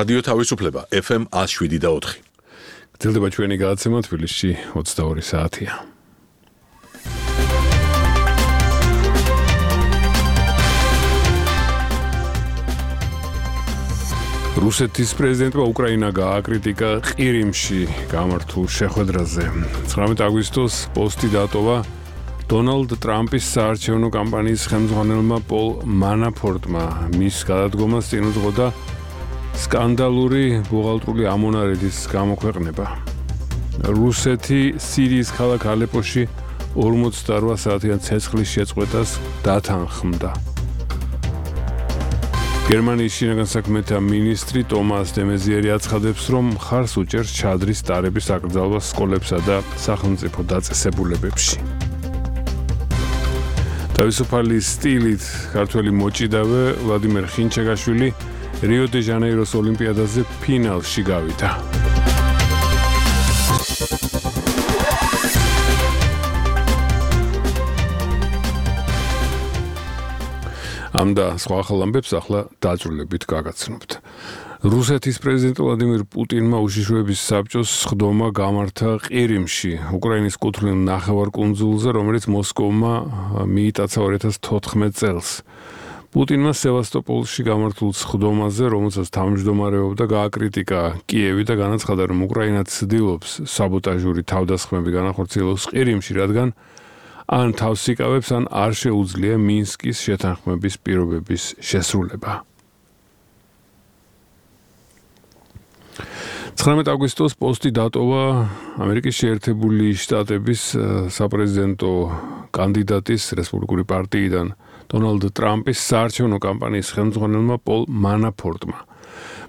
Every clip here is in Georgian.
რადიო თავისუფლება FM 107.4. გრძელდება ჩვენი გადაცემა თბილისში 22 საათია. რუსეთის პრეზიდენტმა უკრაინა გააკრიტიკა ყირიმში გამართულ შეხვედრაზე. 19 აგვისტოს პოსტი დატოვა დონალდ ტრამპის საარჩევნო კამპანიის ხელმძღვანელმა პოლ მანაფორტმა. მის გადადგომას წინ უძღოდა სკანდალური ბუღალტრული ამონარიდის გამოქვეყნება. რუსეთი სირიის ქალაქ ალეპოში 48 საათიან ცეცხლის შეწყვეტას დათანხმდა. გერმანიის შინაგან საქმეთა მინისტრი ტომას დე მეზიერი აცხადებს, რომ მხარს უჭერს ჩადრის ტარების აკრძალვას სკოლებსა და სახელმწიფო დაწესებულებებში. თავისუფალი სტილით ქართველი მოჭიდავე ვლადიმერ ხინჩეგაშვილი რიო დე ჟანეიროს ოლიმპიადაზე ფინალში გავიდა. ამ და სხვა ახალ ამბებს ახლა დაძრულებით გაგაცნობთ. რუსეთის პრეზიდენტ ვლადიმირ პუტინმა უშიშროების საბჭოს სხდომა გამართა ყირიმში, უკრაინის კუთვნილ ნახევარკუნძულზე, რომელიც მოსკოვმა მიიტაცა 2014 წელს. პუტინმა სევასტოპოლში გამართულ სხდომაზე, რომელსაც თავმჯდომარეობდა, გააკრიტიკა კიევი და განაცხადა, რომ უკრაინა ცდილობს საბოტაჟური თავდასხმები განახორციელოს ყირიმში, რადგან ან თავს იკავებს, ან არ შეუძლია მინსკის შეთანხმების პირობების შესრულება. 19 აგვისტოს პოსტი დატოვა ამერიკის შეერთებული შტატების საპრეზიდენტო კანდიდატის რესპუბლიკური პარტიიდან დონალდ ტრამპის საარჩევნო კამპანიის ხელმძღვანელმა პოლ მანაფორტმა.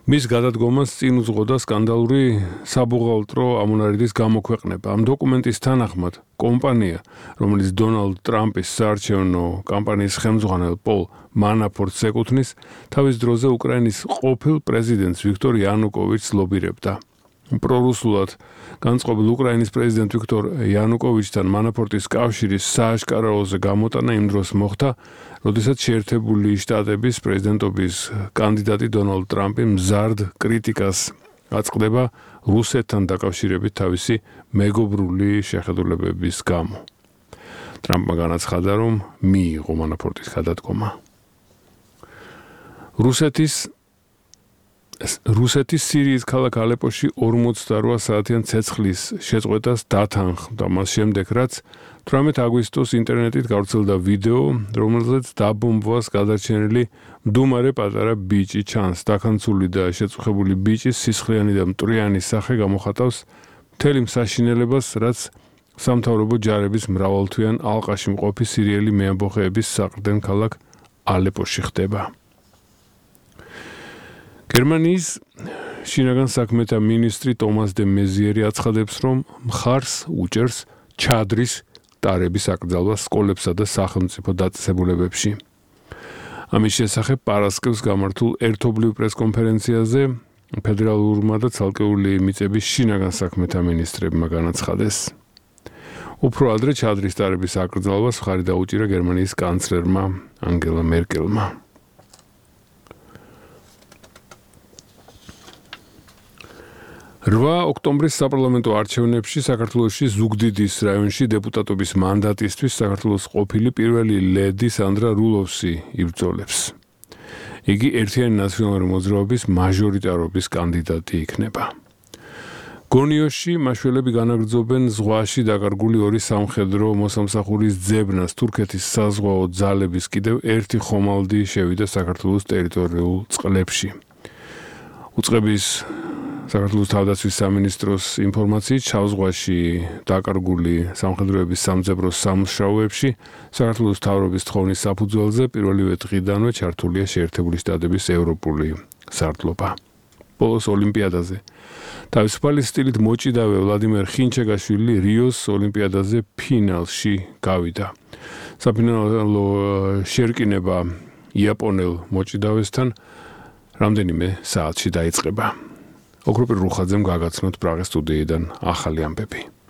მის გადადგომას წინ უძღოდა სკანდალური საბუღალტრო ამონარიდის გამოქვეყნება. ამ დოკუმენტის თანახმად კომპანია, რომელიც დონალდ ტრამპის საარჩევნო კამპანიის ხელმძღვანელ პოლ მანაფორტს ეკუთვნის, თავის დროზე უკრაინის ყოფილ პრეზიდენტს ვიქტორ იანუკოვიჩს ლობირებდა. პრორუსულად განწყობილ უკრაინის პრეზიდენტ ვიქტორ იანუკოვიჩთან მანაფორტის კავშირის სააშკარაოზე გამოტანა იმ დროს მოხდა, როდესაც შეერთებული შტატების პრეზიდენტობის კანდიდატი დონალდ ტრამპი მზარდ კრიტიკას აწყდება რუსეთთან დაკავშირებით თავისი მეგობრული შეხედულებების გამო. ტრამპმა განაცხადა, რომ მიიღო მანაფორტის გადადგომა. რუსეთის სირიის ქალაქ ალეპოში 48 საათიან ცეცხლის შეწყვეტას დათანხმდა. მას შემდეგ, რაც 18 აგვისტოს ინტერნეტით გავრცელდა ვიდეო, რომელზეც დაბომბვას გადარჩენილი მდუმარე პატარა ბიჭი ჩანს. დაქანცული და შეწუხებული ბიჭის სისხლიანი და მტვრიანი სახე გამოხატავს მთელი მსაშინელებას, რაც სამთავრობო ჯარების მრავალთვიან ალყაში მყოფი სირიელი მეამბოხეების საყრდენ ქალაქ ალეპოში ხდება. გერმანიის შინაგან საქმეთა მინისტრი ტომას დე მეზიერი აცხადებს, რომ მხარს უჭერს ჩადრის ტარების აკრძალვას სკოლებსა და სახელმწიფო დაწესებულებებში. ამის შესახებ პარასკევს გამართულ ერთობლივ პრესკონფერენციაზე ფედერალურმა და ცალკეული მიწების შინაგან საქმეთა მინისტრებმა განაცხადეს. უფრო ადრე ჩადრის ტარების აკრძალვას მხარი დაუჭირა გერმანიის კანცლერმა ანგელა მერკელმა. 8 ოქტომბრის საპარლამენტო არჩევნებში საქართველოში ზუგდიდის რაიონში დეპუტატობის მანდატისთვის საქართველოს ყოფილი პირველი ლედი სანდრა რულოვსი იბრძოლებს. იგი ერთიანი ნაციონალური მოძრაობის მაჟორიტარობის კანდიდატი იქნება. გონიოში მაშველები განაგრძობენ ზღვაში დაკარგული ორი სამხედრო მოსამსახურის ძებნას. თურქეთის საზღვაო ძალების კიდევ ერთი ხომალდი შევიდა საქართველოს ტერიტორიულ წყლებში. უწყების საქართველოს თავდაცვის სამინისტროს ინფორმაციით, შავ ზღვაში დაკარგული სამხედროების სამძებროს სამუშაოებში საქართველოს მთავრობის თხოვნის საფუძველზე პირველივე დღიდანვე ჩართულია შეერთებული შტატების ევროპული სარდლობა. ბოლოს ოლიმპიადაზე თავისუფალი სტილით მოჭიდავე ვლადიმერ ხინჩეგაშვილი რიოს ოლიმპიადაზე ფინალში გავიდა. საფინალო შერკინება იაპონელ მოჭიდავესთან რამდენიმე საათში დაიწყება. ოქროპირ რუხაძემ გაგაცნოთ პრაღის სტუდიიდან ახალი ამბები.